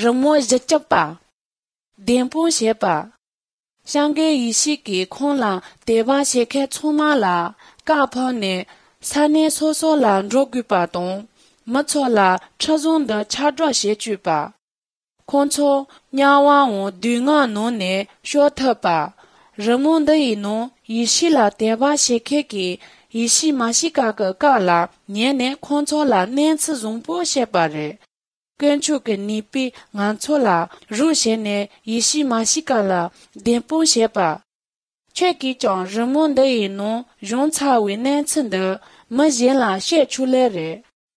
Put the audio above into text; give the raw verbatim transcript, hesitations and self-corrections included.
རི་མོ་བཞི་སྐྱིད་པ། བདེན་དཔང་བྱེད་པ། སངས་རྒྱས་ཡེ་ཤེས་ཀྱིས་ཁོང་ལ་དད་པ་བྱེད་མཁན་ཚང་མ་ལ་བཀའ་ཕབ་ནས་ས་གནས་སོ་སོ་ལ་འགྲོ་དགོས་པ་དང་། མི་ཚོ་ལ་ཁྲིམས་བཟུང་འདི་ཁྱབ་བསྒྲགས་བྱེད་བཅུག་པ། ཁོང་ཚོ་དམྱལ་བའམ་སྡུག་བསྔལ་ནང་ནས་སྐྱོབ་ཐུབ་པ། རི་མོ་འདི་ཡི་ནང་ཡེ་ཤེས་ལ་དད་པ་བྱེད་མཁན་གྱིས་ཡེ་ཤེས་མཱ་ཤི་ཀ་གི་བཀའ་ལ་ཉན་ནས་ཁོང་ཚོ་ལ་གནས་ཚུལ་བཟང་པོ་བཤད་པ་རེད། དཀོན་མཆོག་གི་ནུས་པས་ང་ཚོ་ལ་རོགས་བྱས་ནས་ཡེ་ཤེས་མཱ་ཤི་ཀ་ལ་བདེན་དཔང་བྱེད་པ། ཁྱེད་ཀྱིས་ཀྱང་རི་མོ་འདི་ཡི་ནང་བྱུང་ཚར་བའི་གནས་ཚུལ་འདི་མི་གཞན་ལ་བཤད་ཆོག་ལེ་རེད།